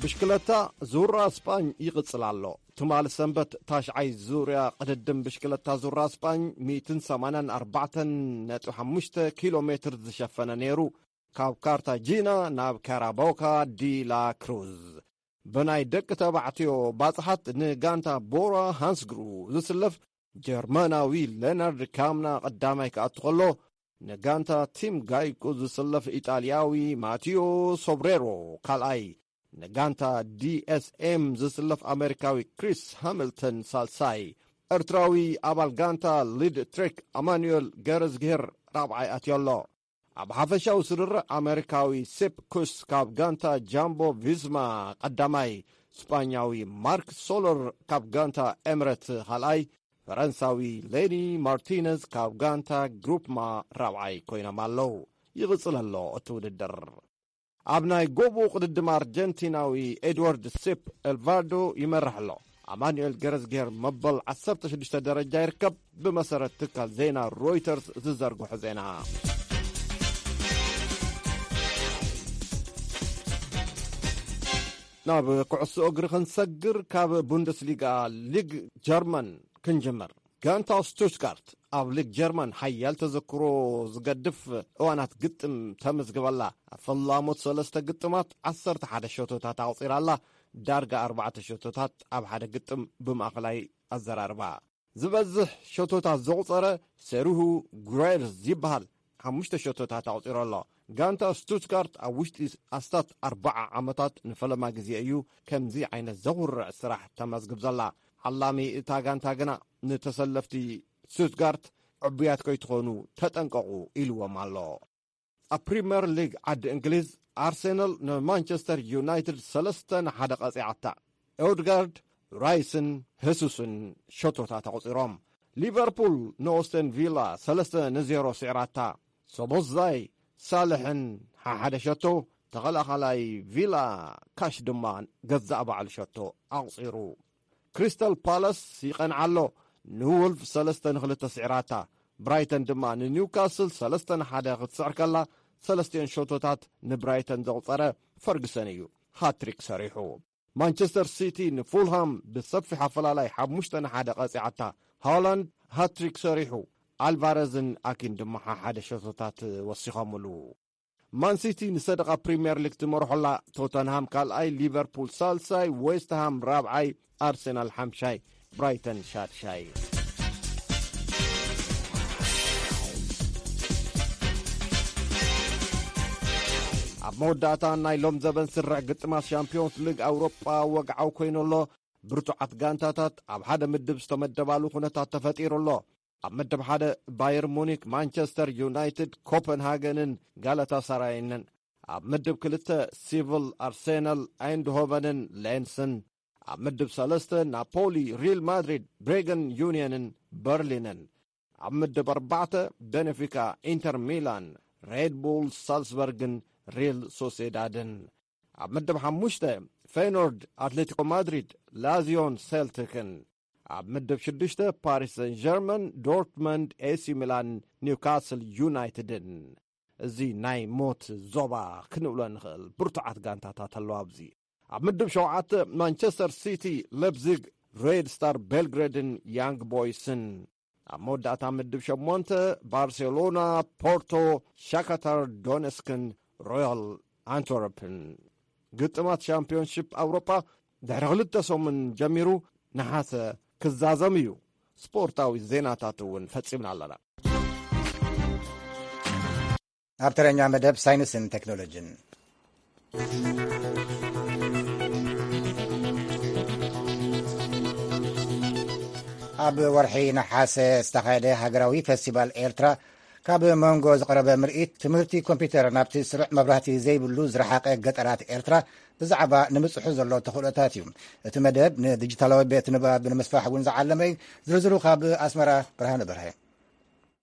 ብሽክለታ ዙራ ስጳኝ ይቕጽል ኣሎ። ትማሊ ሰንበት ታሽዓይ ዙርያ ቅድድም ብሽክለታ ዙራ ስጳኝ ሚእትን ሰማንያን ኣርባዕተን ነጥቢ ሓሙሽተ ኪሎ ሜትር ዝሸፈነ ነይሩ። ካብ ካርታጂና ናብ ካራቦካ ዲ ላ ክሩዝ። ብናይ ደቂ ተባዕትዮ ባጽሓት ንጋንታ ቦራ ሃንስግሩ ዝስለፍ ጀርመናዊ ሌናርድ ካምና ቀዳማይ ክኣቱ ከሎ፣ ንጋንታ ቲም ጋይኮ ዝስለፍ ኢጣልያዊ ማቲዮ ሶብሬሮ ካልኣይ፣ ንጋንታ ዲኤስኤም ዝስለፍ ኣሜሪካዊ ክሪስ ሃሚልተን ሳልሳይ፣ ኤርትራዊ ኣባል ጋንታ ሊድ ትሬክ ኣማኑኤል ገረዝግሄር ራብዓይ ኣትዮ ኣሎ። ኣብ ሓፈሻዊ ስርርዕ ኣሜሪካዊ ሴፕ ኩስ ካብ ጋንታ ጃምቦ ቪስማ ቀዳማይ፣ ስጳኛዊ ማርክ ሶለር ካብ ጋንታ ኤምረት ካልኣይ፣ ፈረንሳዊ ሌኒ ማርቲነዝ ካብ ጋንታ ግሩፕማ ራብዓይ ኮይኖም ኣለዉ። ይቕጽል ኣሎ እቲ ውድድር። ኣብ ናይ ጎቦ ቅድድም ኣርጀንቲናዊ ኤድዋርድ ሴፕ ኤልቫርዶ ይመርሕ ኣሎ። ኣማኑኤል ገረዝጌር መበል ዓሰርተ ሽዱሽተ ደረጃ ይርከብ፣ ብመሰረት ትካል ዜና ሮይተርስ ዝዘርግሖ ዜና። ናብ ኩዕሶ እግሪ ክንሰግር፣ ካብ ቡንደስሊጋ፣ ሊግ ጀርመን፣ ክንጅምር። ጋንታ ስቱትጋርት ኣብ ሊግ ጀርመን ሓያል ተዘክሮ ዝገድፍ እዋናት ግጥም ተመዝግበላ። ኣብ ፈላሞት ሰለስተ ግጥማት ዓሰርተ ሓደ ሸቶታት ኣቑጺራላ። ዳርጋ ኣርባዕተ ሸቶታት ኣብ ሓደ ግጥም ብማእኸላይ ኣዘራርባ። ዝበዝሕ ሸቶታት ዘቑጸረ ሴሩሁ ጉሬርዝ ይበሃል። ሓሙሽተ ሸቶታት ኣቑጺሩ ኣሎ። ጋንታ ስቱትጋርት ኣብ ውሽጢ ኣስታት ኣርባዓ ዓመታት ንፈለማ ግዜ እዩ ከምዚ ዓይነት ዘኹርዕ ስራሕ ተመዝግብ ዘላ። ዓላሚ እታ ጋንታ ግና ንተሰለፍቲ ስቱትጋርት ዕቡያት ከይትኾኑ ተጠንቀቑ ኢልዎም ኣሎ። ኣብ ፕሪምየር ሊግ ዓዲ እንግሊዝ፣ ኣርሴናል ንማንቸስተር ዩናይትድ ሰለስተ ንሓደ ቀጺዓታ። ኦድጋርድ፣ ራይስን ሄሱስን ሸቶታት ኣቑጺሮም። ሊቨርፑል ንኦስተን ቪላ ሰለስተ ንዜሮ ስዒራታ። ሶቦስላይ፣ ሳልሕን ሓሓደ ሸቶ፣ ተኸላኻላይ ቪላ ካሽ ድማ ገዛእ ባዕሉ ሸቶ ኣቑጺሩ። ክሪስታል ፓላስ ይቐንዓ ኣሎ፣ ንውልፍ ሰለስተ ንክልተ ስዒራታ። ብራይተን ድማ ንኒውካስል ሰለስተ ንሓደ ክትስዕር ከላ፣ ሰለስቲኦን ሸቶታት ንብራይተን ዘቑጸረ ፈርግሰን እዩ ሃትሪክ ሰሪሑ። ማንቸስተር ሲቲ ንፉልሃም ብሰፊሕ ኣፈላላይ ሓሙሽተ ንሓደ ቀጺዓታ። ሃላንድ ሃትሪክ ሰሪሑ፣ ኣልቫረዝን ኣኪን ድማ ሓሓደ ሸቶታት ወሲኾምሉ። ማን ሲቲ ንሰደቓ ፕሪምየር ሊግ ትመርሖላ፣ ቶተንሃም ካልኣይ፣ ሊቨርፑል ሳልሳይ፣ ዌስትሃም ራብዓይ፣ ኣርሰናል ሓምሻይ፣ ብራይተን ሻድሻይ። ኣብ መወዳእታ ናይ ሎም ዘበን ስርዕ ግጥማት ሻምፒዮንስ ሊግ ኣውሮጳ ወግዓዊ ኮይኑ ኣሎ። ብርቱዓት ጋንታታት ኣብ ሓደ ምድብ ዝተመደባሉ ኩነታት ተፈጢሩ ኣሎ። ኣብ ምድብ ሓደ ባየር ሙኒክ፣ ማንቸስተር ዩናይትድ፣ ኮፐንሃገንን ጋላታሳራይንን። ኣብ ምድብ ክልተ ሲቪል፣ ኣርሴናል፣ ኣይንድሆቨንን ሌንስን። ኣብ ምድብ ሰለስተ ናፖሊ፣ ሪል ማድሪድ፣ ብሬገን ዩንየንን በርሊንን። ኣብ ምድብ ኣርባዕተ ቤኔፊካ፣ ኢንተር ሚላን፣ ሬድ ቡል ሳልስበርግን ሪል ሶሴዳድን። ኣብ ምድብ ሓሙሽተ ፌኖርድ፣ ኣትሌቲኮ ማድሪድ፣ ላዚዮን ሴልቲክን። ኣብ ምድብ ሽዱሽተ ፓሪስ ሰን ጀርመን፣ ዶርትመንድ፣ ኤሲ ሚላን፣ ኒውካስል ዩናይትድን። እዚ ናይ ሞት ዞባ ክንብሎ ንኽእል። ብርቱዓት ጋንታታት ኣለዋ ኣብዚ። ኣብ ምድብ ሸውዓተ ማንቸስተር ሲቲ፣ ሌፕዚግ፣ ሬድ ስታር ቤልግሬድን ያንግ ቦይስን። ኣብ መወዳእታ ምድብ ሸሞንተ ባርሴሎና፣ ፖርቶ፣ ሻካታር ዶነስክን ሮያል ኣንትወርፕን። ግጥማት ሻምፒዮንሺፕ ኣውሮጳ ድሕሪ ክልተ ሰሙን ጀሚሩ፣ ነሓሰ ክዛዘም እዩ። ስፖርታዊ ዜናታት እውን ፈጺምና ኣለና። ኣብ ተረኛ መደብ ሳይንስን ቴክኖሎጂን። ኣብ ወርሒ ነሓሰ ዝተኻየደ ሃገራዊ ፌስቲቫል ኤርትራ፣ ካብ መንጎ ዝቐረበ ምርኢት፣ ትምህርቲ ኮምፒውተር ናብቲ ስሩዕ መብራህቲ ዘይብሉ ዝረሓቐ ገጠራት ኤርትራ ብዛዕባ ንምጽሑ ዘሎ ተኽእሎታት እዩ። እቲ መደብ ንዲጂታላዊ ቤት ንባብ ንምስፋሕ እውን ዝዓለመ እዩ። ዝርዝሩ ካብ ኣስመራ፣ ብርሃነ በርሀ።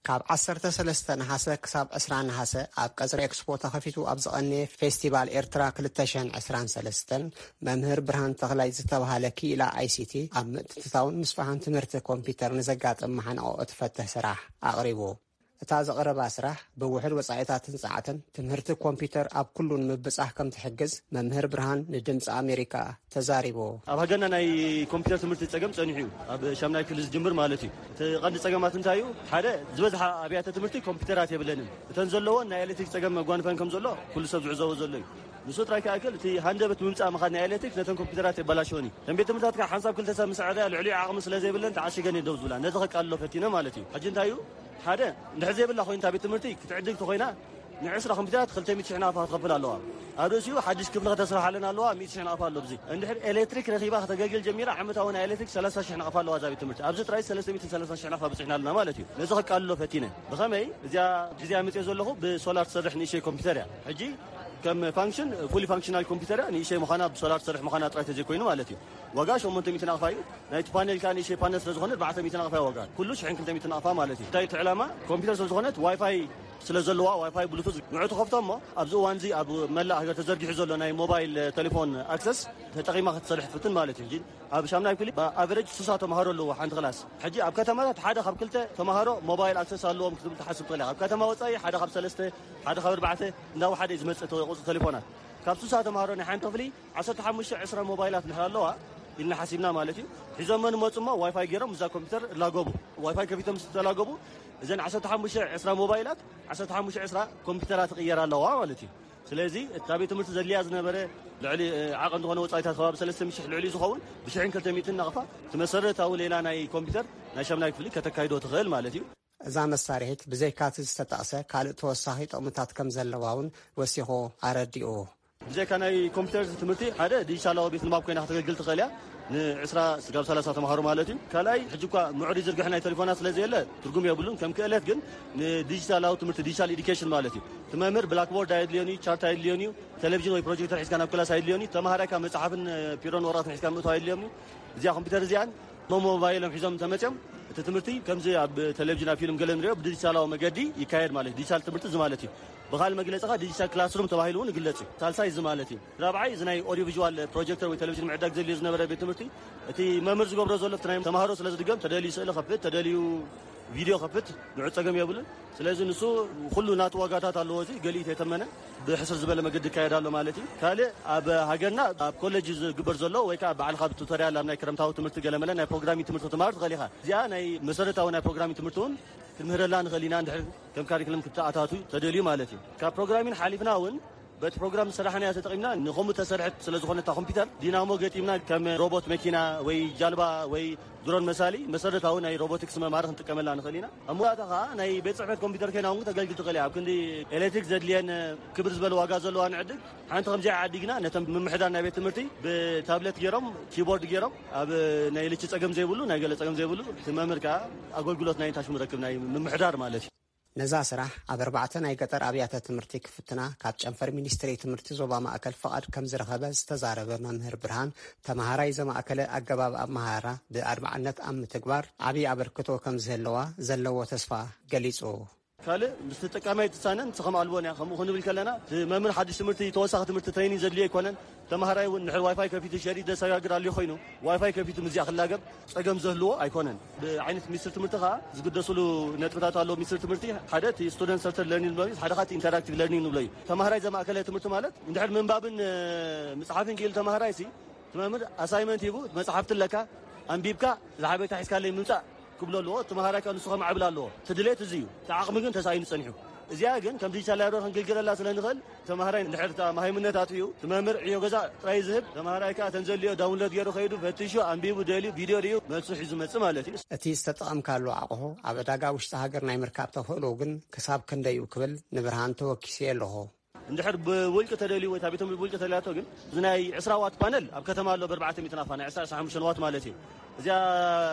ካብ ዓሰርተ ሰለስተ ነሓሰ ክሳብ ዕስራ ነሓሰ ኣብ ቀጽሪ ኤክስፖ ተኸፊቱ ኣብ ዝቐነየ ፌስቲቫል ኤርትራ ክልተ ሽሕን ዕስራን ሰለስተን፣ መምህር ብርሃን ተኽላይ ዝተባህለ ክኢላ ኣይሲቲ ኣብ ምትእትታውን ምስፋሕን ትምህርቲ ኮምፒውተር ንዘጋጥም መሓንቆ እትፈትሕ ስራሕ ኣቕሪቡ። እታ ዝቐረባ ስራሕ ብውሑድ ወጻኢታትን ጸዓትን ትምህርቲ ኮምፒውተር ኣብ ኩሉ ንምብጻሕ ከም ትሕግዝ መምህር ብርሃን ንድምጺ ኣሜሪካ ተዛሪቡ። ኣብ ሃገርና ናይ ኮምፒውተር ትምህርቲ ጸገም ጸኒሑ እዩ፣ ኣብ ሻምናይ ክፍሊ ዝጅምር ማለት እዩ። እቲ ቀንዲ ጸገማት እንታይ እዩ? ሓደ፣ ዝበዝሓ ኣብያተ ትምህርቲ ኮምፒውተራት የብለንን። እተን ዘለዎን ናይ ኤሌክትሪክ ጸገም መጓንፈን ከም ዘሎ ኩሉ ሰብ ዝዕዘቦ ዘሎ እዩ። ንሱ ጥራይ ክኣክል፣ እቲ ሃንደበት ብምምጻእ ምኻድ ናይ ኤሌክትሪክ ነተን ኮምፒውተራት የበላሽወን እዩ። እተን ቤት ትምህርታት ከዓ ሓንሳብ ክልተ ሰብ ምስ ኣዕረያ ልዕሊኡ ዓቕሚ ስለ ዘይብለን ተዓሺገን እየን ደው ዝብላ። ነዚ ከቃልሎ ፈቲነ ማለት እዩ። ሕጂ እንታይ እዩ? ሓደ፣ እንድሕር ዘይብላ ኮይና እታ ቤት ትምህርቲ ክትዕድግ ተኾይና፣ ንዕስራ ኮምፒውተራት ክልተ ሚእቲ ሽሕ ናቕፋ ክትኸፍል ኣለዋ። ኣብ ርእሲኡ ሓድሽ ክፍሊ ከተስርሓለን ኣለዋ፣ ሚእቲ ሽሕ ናቕፋ ኣሎ። ብዚ እንድሕር ኤሌክትሪክ ረኺባ ከተገልግል ጀሚራ፣ ዓመታዊ ናይ ኤሌክትሪክ ሰላሳ ሽሕ ናቕፋ ኣለዋ እዛ ቤት ትምህርቲ። ኣብዚ ጥራይ ሰለስተ ሚእትን ሰላሳን ሽሕ ናቕፋ በጺሕና ኣለና ማለት እዩ። ነዚ ከቃልሎ ፈቲነ። ብኸመይ? እዚኣ ግዜ ኣምጽኦ ዘለኹ ብሶላር ትሰርሕ ንእሽተይ ኮምፒውተር እያ። ሕጂ ከም ፋንክሽን፣ ፉሊ ፋንክሽናል ኮምፒውተር እያ፣ ንእሽተይ ምዃና፣ ብሶላር ትሰርሕ ምዃና ጥራይ ተዘይኮይኑ ማለት እዩ። ዋጋ ሸሞንተ ሚእቲ ናቕፋ እዩ። ናይቲ ፓነል ከኣ ንእሽተይ ፓነል ስለ ዝኾነ ኣርባዕተ ሚእቲ ናቕፋ እዩ ዋጋ። ኩሉ ሽሕን ክልተ ሚእቲ ናቕፋ ማለት እዩ። እንታይ ትዕላማ? ኮምፒውተር ስለ ዝኾነት ዋይፋይ ስለ ዘለዋ፣ ዋይፋይ ብሉቱዝ ንዑ ትኸፍቶ እሞ፣ ኣብዚ እዋን እዚ ኣብ መላእ ሃገር ተዘርጊሑ ዘሎ ናይ ሞባይል ቴሌፎን ኣክሰስ ተጠቒማ ክትሰርሕ ትፍትን ማለት እዩ። ሕጂ ኣብ ሻምናይ ክፍሊ ብኣቨሬጅ ስሳ ተምሃሮ ኣለዎ ሓንቲ ክላስ። ሕጂ ኣብ ከተማታት ሓደ ካብ ክልተ ተምሃሮ ሞባይል ኣክሰስ ኣለዎም ክትብል ትሓስብ ትኽእል ኢኻ። ኣብ ከተማ ወጻኢ ሓደ ካብ ሰለስተ፣ ሓደ ካብ ኣርባዕተ እንዳወሓደ እዩ ዝመጽእ ተ-፣ ቁጽሪ ቴሌፎናት። ካብ ስሳ ተምሃሮ ናይ ሓንቲ ክፍሊ ዓሰርተ ሓሙሽተ ዕስራ ሞባይላት እንድሕር ኣለዋ ኢልና ሓሲብና ማለት እዩ። ሒዞመን መፁ እሞ ዋይፋይ ገይሮም እዛ ኮምፒውተር እላገቡ። ዋይፋይ ከፊቶም ዝተላገቡ እዘን ዓሰርተ ሓሙሽተ ዕስራ ሞባይላት ዓሰርተ ሓሙሽተ ዕስራ ኮምፒውተራት ይቕየር ኣለዋ ማለት እዩ። ስለዚ እታ ቤት ትምህርቲ ዘድልያ ዝነበረ ልዕሊ ዓቐን ዝኾነ ወፃኢታት ከባቢ ሰለስተ ሚእቲ ሽሕ ልዕሊ ዝኸውን ብሽሕን ክልተ ሚእትን ናቕፋ እቲ መሰረታዊ ሌላ ናይ ኮምፒውተር ናይ ሻምናይ ክፍሊ ከተካይዶ ትኽእል ማለት እዩ። እዛ መሳርሒት ብዘይካቲ ዝተጠቕሰ ካልእ ተወሳኺ ጥቕምታት ከም ዘለዋ እውን ወሲኹ ኣረዲኡ። ብዘይካ ናይ ኮምፒውተር ትምህርቲ ሓደ ዲጂታላዊ ቤት ንባብ ኮይና ከተገልግል ትኽእል እያ። ንዕስራ ስጋብ ሰላሳ ተምሃሮ ማለት እዩ። ካልኣይ ሕጂ እኳ ምዑር ዝርግሕ ናይ ቴሌፎናት ስለ ዘየለ ትርጉም የብሉን። ከም ክእለት ግን ንዲጂታላዊ ትምህርቲ ዲጂታል ኤዱኬሽን ማለት እዩ። እቲ መምህር ብላክቦርድ ኣየድልዮን እዩ፣ ቻርት ኣየድልዮን እዩ፣ ቴሌቪዥን ወይ ፕሮጀክተር ሒዝካ ናብ ክላስ ኣየድልዮን እዩ። ተምሃራይ ካብ መፅሓፍን ፒሮን ወረቐትን ሒዝካ ምእታው ኣየድልዮም እዩ። እዚኣ ኮምፒውተር እዚኣን ሞባይሎም ሒዞም ተመፅኦም እቲ ትምህርቲ ከምዚ ኣብ ቴሌቪዥን ኣብ ፊልም ገለ ንሪኦ ብዲጂታላዊ መገዲ ይካየድ ማለት ዲጂታል ትምህርቲ እዚ ማለት እዩ። ብካልእ መግለፂ ካ ዲጂታል ክላስሩም ተባሂሉ እውን ይግለፅ እዩ። ሳልሳይ እዚ ማለት እዩ። ራብዓይ እዚ ናይ ኦዲዮ ቪዥዋል ፕሮጀክተር ወይ ቴሌቪዥን ምዕዳግ ዘድልዮ ዝነበረ ቤት ትምህርቲ እቲ መምህር ዝገብሮ ዘሎ እቲ ናይ ተምሃሮ ስለ ዝድገም ተደልዩ ስእሊ ከፍት ተደልዩ ቪድዮ ከፍት ንዑ ፀገም የብሉን። ስለዚ ንሱ ኩሉ ናቱ ዋጋታት ኣለዎ። እዚ ገሊኡ ተተመነ ብሕስር ዝበለ መገዲ ይካየድ ኣሎ ማለት እዩ። ካልእ ኣብ ሃገርና ኣብ ኮሌጅ ዝግበር ዘሎ ወይ ከዓ ባዕልካ ብቱቶሪያል ኣብ ናይ ክረምታዊ ትምህርቲ ገለመለ ናይ ፕሮግራሚንግ ትምህርቲ ክትመሃር ትኽእል ኢኻ። እዚኣ ናይ መሰረታዊ ናይ ፕሮግራሚንግ ትምህርቲ እውን ክንምህረላ ንኽእል ኢና እንድሕር ከም ካሪክለም ክትኣታቱ ተደልዩ ማለት እዩ። ካብ ፕሮግራሚንግ ሓሊፍና እውን በቲ ፕሮግራም ዝሰራሕናያ ተጠቒምና ንኸምኡ ተሰርሐት ስለ ዝኾነት እታ ኮምፒውተር ዲናሞ ገጢምና ከም ሮቦት መኪና ወይ ጃልባ ወይ ድሮን መሳሊ መሰረታዊ ናይ ሮቦቲክስ መምሃሪ ክንጥቀመላ ንኽእል ኢና። ኣብ መወዳእታ ኸዓ ናይ ቤት ጽሕፈት ኮምፒውተር ኮይና እውን ክተገልግል ትኽእል እያ። ኣብ ክንዲ ኤሌክትሪክ ዘድልየን ክብር ዝበለ ዋጋ ዘለዋ ንዕድግ ሓንቲ ከምዚኣ ዓዲግና ነቶም ምምሕዳር ናይ ቤት ትምህርቲ ብታብለት ገይሮም ኪቦርድ ገይሮም ኣብ ናይ ልቺ ጸገም ዘይብሉ ናይ ገለ ጸገም ዘይብሉ እቲ መምህር ከዓ ኣገልግሎት ናይ ታሽሙ ረክብ ናይ ምምሕዳር ማለት እዩ። ነዛ ስራሕ ኣብ ኣርባዕተ ናይ ገጠር ኣብያተ ትምህርቲ ክፍትና ካብ ጨንፈር ሚኒስትሪ ትምህርቲ ዞባ ማእከል ፍቓድ ከም ዝረኸበ ዝተዛረበ መምህር ብርሃን፣ ተምሃራይ ዘማእከለ ኣገባብ ኣመሃህራ ብኣድማዕነት ኣብ ምትግባር ዓብዪ ኣበርክቶ ከም ዝህልዋ ዘለዎ ተስፋ ገሊጹ። ካልእ ምስ ተጠቃማይ ትሳነን ንስኸም ኣልቦን እያ። ከምኡ ክንብል ከለና እቲ መምህር ሓድሽ ትምህርቲ ተወሳኺ ትምህርቲ ትሬኒንግ ዘድልዮ ኣይኮነን። ተምሃራይ እውን ንድሕር ዋይፋይ ከፊቱ ሸሪጥ ዘሰጋግር ኣልዩ ኮይኑ ዋይፋይ ከፊቱ ምዚኣ ክላገብ ጸገም ዘህልዎ ኣይኮነን። ብዓይነት ሚኒስትሪ ትምህርቲ ከኣ ዝግደስሉ ነጥብታት ኣለዉ። ሚኒስትሪ ትምህርቲ ሓደ እቲ ስቱደንት ሰንተርድ ለርኒንግ ንብሎ እዩ፣ ሓደ ከኣ እቲ ኢንተራክቲቭ ለርኒንግ ንብሎ እዩ። ተምሃራይ ዘማእከለ ትምህርቲ ማለት እንድሕር ምንባብን ምጽሓፍን ክኢሉ ተምሃራይ ሲ እቲ መምህር ኣሳይመንት ሂቡ መጽሓፍቲ ኣለካ ኣንቢብካ ዝሓበካ ሒዝካለይ ምምጻእ ክብሎ ኣለዎ። እቲ መሃራይ ከኣ ንሱ ከማዕብል ኣለዎ። እቲ ድሌት እዚ እዩ። እቲ ዓቕሚ ግን ተሳኢኑ ጸኒሑ። እዚኣ ግን ከም ዲጂታል ላይብረሪ ክንግልገለላ ስለ ንኽእል ተምሃራይ እንድሕር እታ መሃይምነት ኣጥፊኡ እቲ መምህር ዕዮ ገዛ ጥራይ ዝህብ ተምሃራይ ከኣ ተን ዘድልዮ ዳውንሎድ ገይሩ ከይዱ ፈቲሹ ኣንቢቡ ደልዩ ቪድዮ ሪኡ መልሱ ሒዙ መጽእ ማለት እዩ። እቲ ዝተጠቐምካሉ ኣቕሑ ኣብ ዕዳጋ ውሽጢ ሃገር ናይ ምርካብ ተኽእሎ ግን ክሳብ ክንደይ እዩ ክብል ንብርሃን ተወኪሰ ኣለኹ። እንድሕር ብውልቂ ተደልዩ ወይ ታቤቶም ብውልቂ ተደልያቶ ግን እዚ ናይ ዕስራ ዋት ፓነል ኣብ ከተማ ኣሎ ብኣርባዕተ ሚእቲ ናፋ ናይ ዕስራ ዕስራ ሓሙሽተ ዋት ማለት እዩ። እዚኣ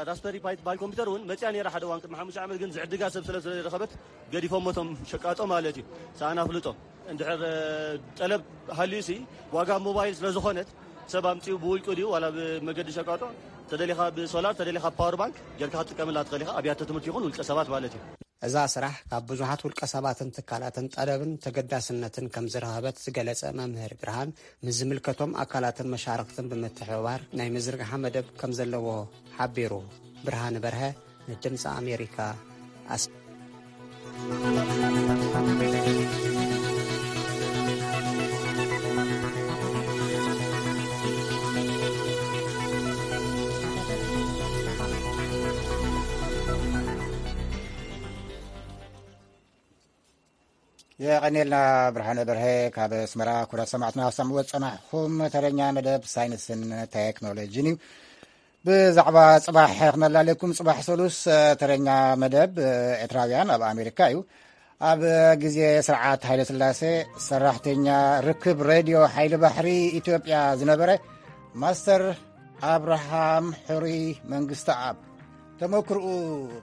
ራስፐሪ ፓይ ትበሃል ኮምፒውተር እውን መፅያ ነይራ ሓደ እዋን ቅድሚ ሓሙሽተ ዓመት ግን ዝዕድጋ ሰብ ስለ ስለዝረኸበት ገዲፎሞቶም ሸቃጦ ማለት እዩ። ሰኣና ፍልጦ እንድሕር ጠለብ ሃልዩ ሲ ዋጋ ሞባይል ስለ ዝኾነት ሰብ ኣምፅኡ ብውልቂ ድዩ ዋላ ብመገዲ ሸቃጦ ተደሊኻ ብሶላር ተደሊኻ ፓወር ባንክ ጌርካ ክትጥቀምላ ትኽእል ኢኻ ኣብያተ ትምህርቲ ይኹን ውልቀ ሰባት ማለት እዩ። እዛ ስራሕ ካብ ብዙሓት ውልቀ ሰባትን ትካላትን ጠለብን ተገዳስነትን ከም ዝረኸበት ዝገለጸ መምህር ብርሃን፣ ምስ ዝምልከቶም ኣካላትን መሻርኽትን ብምትሕብባር ናይ ምዝርግሓ መደብ ከም ዘለዎ ሓቢሩ። ብርሃን በርሀ ንድምፂ ኣሜሪካ ኣስ- የቐኔልና ብርሃነ በርሀ ካብ ኣስመራ። ኩራት ሰማዕትና ሰምዕዎ ዝጸናሕኹም ተረኛ መደብ ሳይንስን ቴክኖሎጂን እዩ። ብዛዕባ ጽባሕ ክመላለኩም፣ ጽባሕ ሰሉስ ተረኛ መደብ ኤርትራውያን ኣብ ኣሜሪካ እዩ። ኣብ ግዜ ስርዓት ሃይለ ስላሴ ሰራሕተኛ ርክብ ሬድዮ ሓይሊ ባሕሪ ኢትዮጵያ ዝነበረ ማስተር ኣብርሃም ሕሩይ መንግስተኣብ ተመክርኡ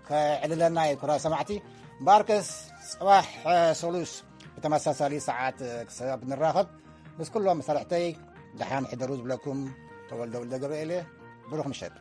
ከዕልለና እዩ። ኩራ ሰማዕቲ ባርከስ ጽባሕ ሰሉስ ብተመሳሳሊ ሰዓት ክሳብ ንራኸብ ምስ ኩሎም መሳርሕተይ ደሓን ሕደሩ ዝብለኩም ተወልደ ወልደ ገብርኤል እየ። ብሩኽ ምሸት።